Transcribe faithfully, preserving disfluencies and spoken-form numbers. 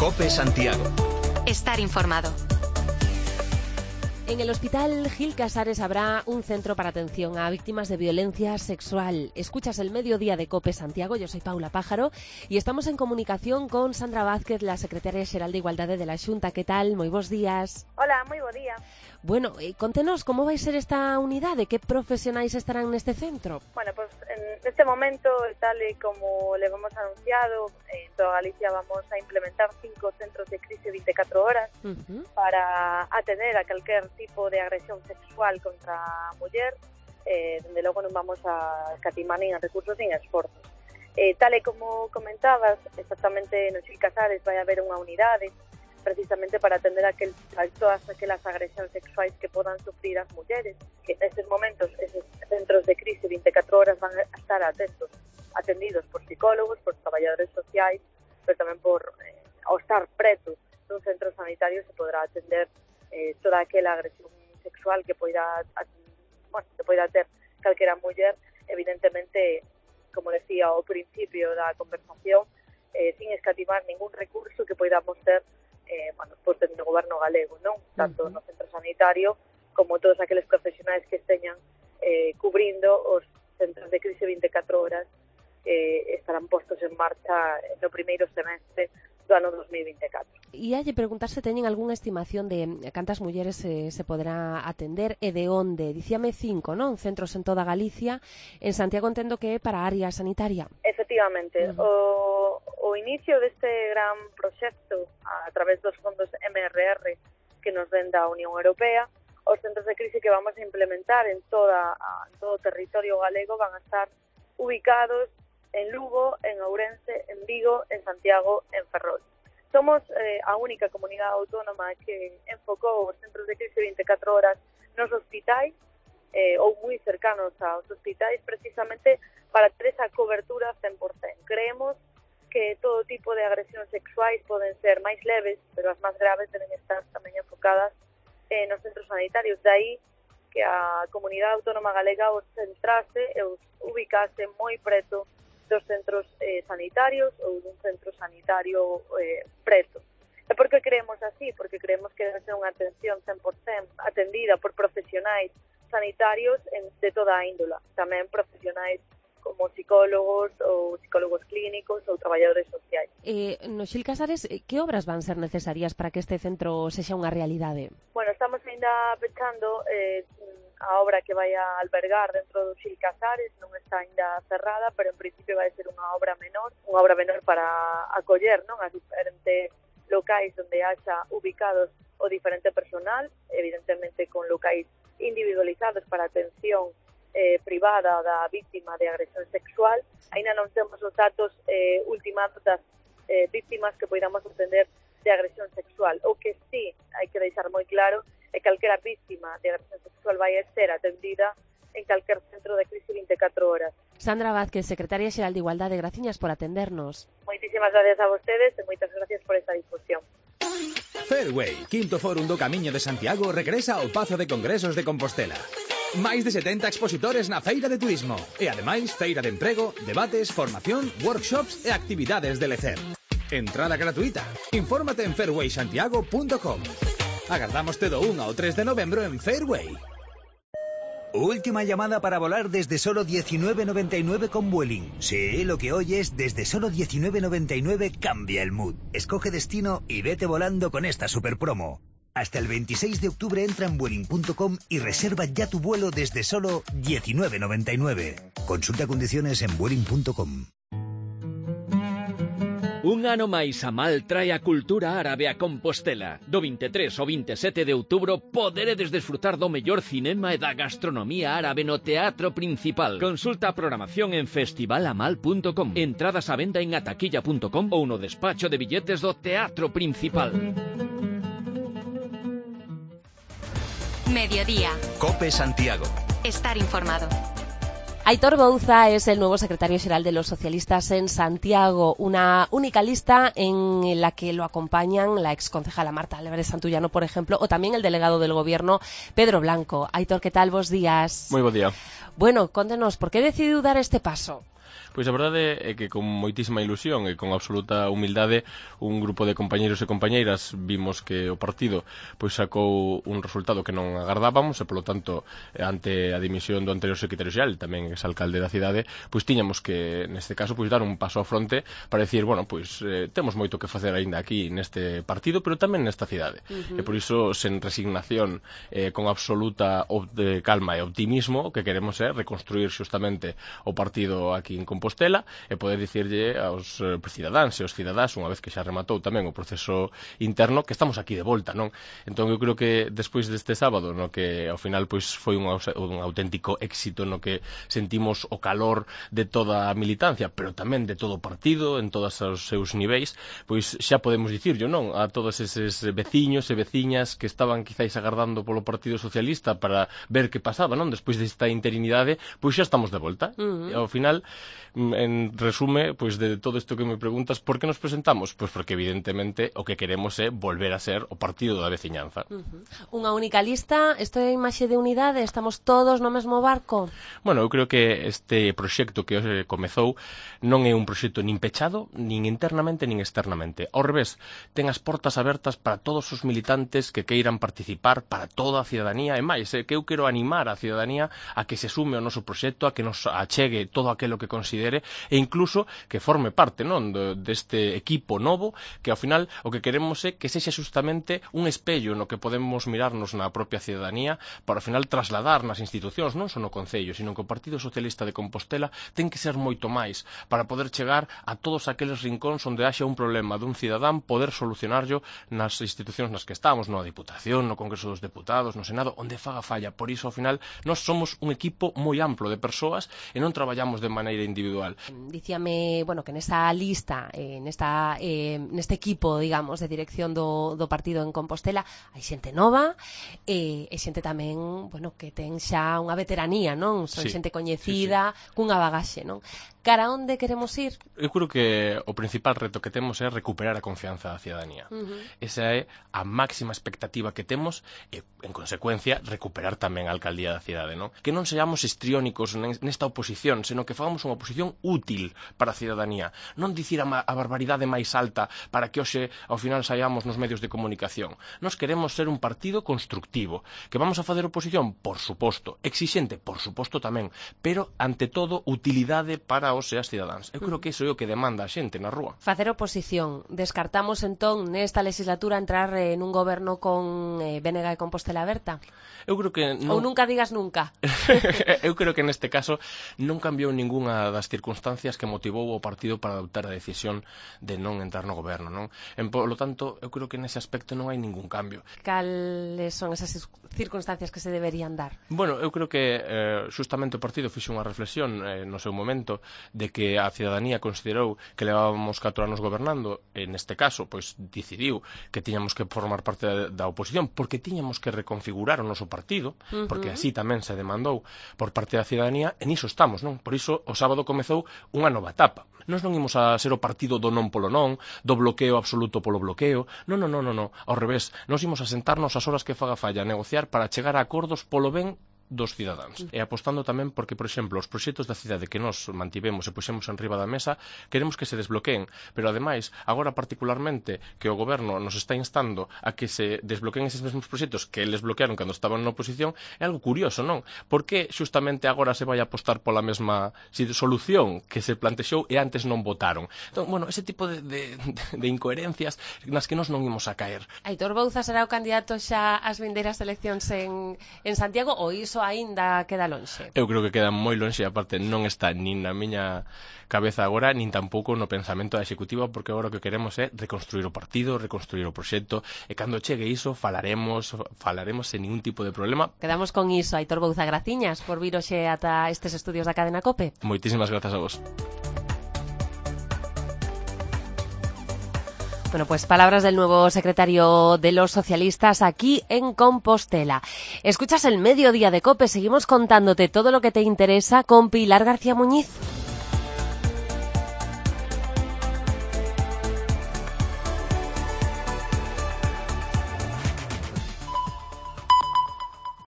COPE Santiago. Estar informado. En el Hospital Gil Casares habrá un centro para atención a víctimas de violencia sexual. Escuchas el Mediodía de COPE Santiago, yo soy Paula Pájaro y estamos en comunicación con Sandra Vázquez, la secretaria xeral de Igualdade de la Xunta. Que tal? Moi bons días. Hola, moi bo día. Bueno, eh, contenos como vai ser esta unidade, que profesionais estarán neste centro? Bueno, pues en este momento, tal y como le hemos anunciado, en toda Galicia vamos a implementar cinco centros de crisis veinticuatro horas uh-huh. para atender a cualquier tipo de agresión sexual contra a muller, eh, donde logo non vamos a escatimar nin recursos nin esforzos. Eh, tal e como comentabas, exactamente no Gil Casares vai haber unha unidade precisamente para atender a, aquel, a todas aquelas agresións sexuais que podan sufrir as mulleres, que nestes momentos esos centros de crise veinticuatro horas van a estar atentos, atendidos por psicólogos, por traballadores sociais, pero tamén por, eh, ao estar preto dun centro sanitario se podrá atender eh, toda aquela agresión sexual que poida, bueno, que poida ter calquera muller, evidentemente, como decía ao principio da conversación, eh, sin escatimar ningún recurso que poidamos ter Eh, bueno, por ter no goberno galego, non? Tanto no centro sanitario como todos aqueles profesionais que esteñan eh, cubrindo os centros de crise veinticuatro horas que eh, estarán postos en marcha no primeiro semestre do ano dos mil veinticuatro. E halle preguntar se teñen algunha estimación de cantas mulleres se, se poderá atender e de onde. Dicíame cinco, non? Centros en toda Galicia. En Santiago entendo que é para a área sanitaria. Efectivamente. Uh-huh. O, o inicio deste gran proxecto a través dos fondos M R R que nos ven da Unión Europea, os centros de crise que vamos a implementar en, toda, en todo o territorio galego van a estar ubicados en Lugo, en Ourense, en Vigo, en Santiago, en Ferrol. Somos eh, a única comunidade autónoma que enfocou os centros de crise veinticuatro horas nos hospitais eh, ou moi cercanos aos hospitais precisamente para ter esa cobertura cen por cento. Creemos que todo tipo de agresións sexuais poden ser máis leves, pero as máis graves deben estar tamén enfocadas eh, nos centros sanitarios. De aí que a comunidade autónoma galega os centrase e os ubicase moi preto dos centros eh, sanitarios ou dun centro sanitario eh, preto. E por que creemos así? Porque creemos que debe ser unha atención cen por cento atendida por profesionais sanitarios en, de toda a índola, tamén profesionais como psicólogos ou psicólogos clínicos ou traballadores sociais. Eh, no Gil Casares, que obras van ser necesarias para que este centro sexa unha realidade? Bueno, estamos ainda pechando eh, a obra que vai a albergar dentro do Gil Casares, non está ainda cerrada, pero en principio vai ser unha obra menor, unha obra menor para acoller, non, as diferentes locais onde haxa ubicados o diferente personal, evidentemente con locais individualizados para atención eh, privada da víctima de agresión sexual. Aínda non temos os datos eh, ultimados das eh, víctimas que poidamos atender de agresión sexual. O que sí hai que deixar moi claro é que calquera víctima de agresión sexual vai ser atendida en calquer centro de crise veinticuatro horas. Sandra Vázquez, secretaria xeral de Igualdade, graciñas por atendernos. Moitísimas gracias a vostedes e moitas gracias por esta difusión. Fairway, quinto fórum do Camiño de Santiago, regresa ao Pazo de Congresos de Compostela. Máis de setenta expositores na feira de turismo e, ademais, feira de emprego, debates, formación, workshops e actividades de lecer. Entrada gratuita. Infórmate en fairway santiago punto com. Agardámoste do un ao tres de novembro en Fairway. Última llamada para volar desde solo diecinueve noventa y nueve con Vueling. Sí, lo que oyes, desde solo diecinueve noventa y nueve cambia el mood. Escoge destino y vete volando con esta super promo. Hasta el veintiséis de octubre entra en Vueling punto com y reserva ya tu vuelo desde solo diecinueve noventa y nueve. Consulta condiciones en Vueling punto com. Un ano máis a Mal trae a cultura árabe a Compostela. Do veintitrés ao veintisiete de outubro poderedes desfrutar do mellor cinema e da gastronomía árabe no Teatro Principal. Consulta a programación en festival amal punto com. Entradas á venda en ataquilla punto com ou no despacho de billetes do Teatro Principal. Mediodía. COPE Santiago. Estar informado. Aitor Bouza es el nuevo secretario xeral de los socialistas en Santiago, una única lista en la que lo acompañan la exconcejala Marta Álvarez Santullano, por ejemplo, o también el delegado del Gobierno, Pedro Blanco. Aitor, ¿qué tal? Bos días. Moi bo día. Bueno, contenos, por qué decidiu dar este paso? Pois a verdade é que con moitísima ilusión e con absoluta humildade un grupo de compañeiros e compañeiras vimos que o partido pois sacou un resultado que non agardábamos e polo tanto ante a dimisión do anterior secretario xeral, tamén exalcalde da cidade, pois tiñamos que neste caso pois dar un paso á fronte para dicir, bueno, pois eh, temos moito que facer aínda aquí neste partido, pero tamén nesta cidade. Uh-huh. E por iso sen resignación, eh, con absoluta de calma e optimismo, o que queremos é reconstruir xustamente o partido aquí en Compostela e poder dicirlle aos eh, cidadáns e aos cidadás, unha vez que xa rematou tamén o proceso interno, que estamos aquí de volta, non? Entón eu creo que despois deste sábado, no que ao final pois foi un, un auténtico éxito, no que sentimos o calor de toda a militancia, pero tamén de todo o partido, en todos os seus niveis, pois xa podemos dicirlo, non? A todos eses veciños e veciñas que estaban quizáis agardando polo Partido Socialista para ver que pasaba, non? Despois desta interinidade, pois xa estamos de volta. Uh-huh. E ao final, en resume, pois de todo isto que me preguntas, por que nos presentamos? Pois porque evidentemente o que queremos é volver a ser o partido da veciñanza. Uh-huh. Unha única lista, isto é imaxe de unidade, estamos todos no mesmo barco? Bueno, eu creo que este proxecto que hoxe comezou non é un proxecto nin pechado, nin internamente, nin externamente. Ao revés, ten as portas abertas para todos os militantes que queiran participar, para toda a cidadanía, e máis, é que eu quero animar a cidadanía a que se sume ao noso proxecto, a que nos achegue todo aquilo que considere e incluso que forme parte, non, deste equipo novo, que ao final o que queremos é que sexa justamente un espello no que podemos mirarnos na propia cidadanía para ao final trasladar nas institucións, non só no Concello, sino que o Partido Socialista de Compostela ten que ser moito máis para poder chegar a todos aqueles rincóns onde haxa un problema dun cidadán, poder solucionarlo nas institucións nas que estamos, no Diputación, no Congreso dos Deputados, no Senado, onde faga falla. Por iso, ao final, nós somos un equipo moi amplo de persoas e non traballamos de maneira individual. Dicíame, bueno, que nesta lista, eh, nesta, eh, neste equipo, digamos, de dirección do, do partido en Compostela, hai xente nova e, e xente tamén, bueno, que ten xa unha veteranía, non? Son sí, xente coñecida, sí, sí. cunha bagaxe, non? Cara onde queremos ir? Eu creo que o principal reto que temos é recuperar a confianza da cidadanía. Uh-huh. Esa é a máxima expectativa que temos e, en consecuencia, recuperar tamén a alcaldía da cidade, non? Que non seamos histriónicos nesta oposición, senón que fagamos unha oposición útil para a cidadanía. Non dicir a, a barbaridade máis alta para que hoxe, ao final, saiamos nos medios de comunicación. Nos queremos ser un partido constructivo. Que vamos a facer oposición? Por suposto. Exixente? Por suposto tamén. Pero, ante todo, utilidade para os e as cidadáns. Eu creo que iso é o que demanda a xente na rúa. Facer oposición. Descartamos entón nesta legislatura entrar en un goberno con eh, B N G e Compostela Aberta? Eu creo que non... Ou nunca digas nunca. Eu creo que neste caso non cambiou ningunha das circunstancias que motivou o partido para adoptar a decisión de non entrar no goberno, non? En, polo tanto, eu creo que nese aspecto non hai ningún cambio. Cales son esas circunstancias que se deberían dar? Bueno, eu creo que eh, justamente o partido fixo unha reflexión eh, no seu momento de que a cidadanía considerou que levábamos catro anos gobernando e neste caso, pois, decidiu que tiñamos que formar parte da, da oposición porque tiñamos que reconfigurar o noso partido, uh-huh. porque así tamén se demandou por parte da cidadanía e niso estamos, non? Por iso o sábado comezou unha nova etapa. Nós non imos a ser o partido do non polo non, do bloqueo absoluto polo bloqueo, non, non, non, non, ao revés, nós imos a sentarnos as horas que faga falla a negociar para chegar a acordos polo ben dos cidadáns. E apostando tamén porque, por exemplo, os proxectos da cidade que nós mantivemos e puxemos en riba da mesa, queremos que se desbloqueen, pero ademais, agora particularmente que o goberno nos está instando a que se desbloqueen eses mesmos proxectos que eles bloquearon cando estaban na oposición, é algo curioso, non? Por que xustamente agora se vai a apostar pola mesma solución que se plantexou e antes non votaron? Entón, bueno, ese tipo de, de, de incoherencias nas que nós non imos a caer. Aitor Bouza será o candidato xa ás vindeiras eleccións en, en Santiago ou iso aínda queda lonxe? Eu creo que queda moi lonxe, aparte non está nin na miña cabeza agora, nin tampouco no pensamento da Executiva, porque agora o que queremos é reconstruir o partido, reconstruir o proxecto, e cando chegue iso falaremos falaremos sen ningún tipo de problema. Quedamos con iso. Aitor Bouza, graciñas por vir hoxe ata estes estudios da cadena COPE. Moitísimas grazas a vos. Bueno, pues palabras del nuevo secretario de los socialistas aquí en Compostela. Escuchas el Mediodía de COPE, seguimos contándote todo lo que te interesa con Pilar García Muñiz.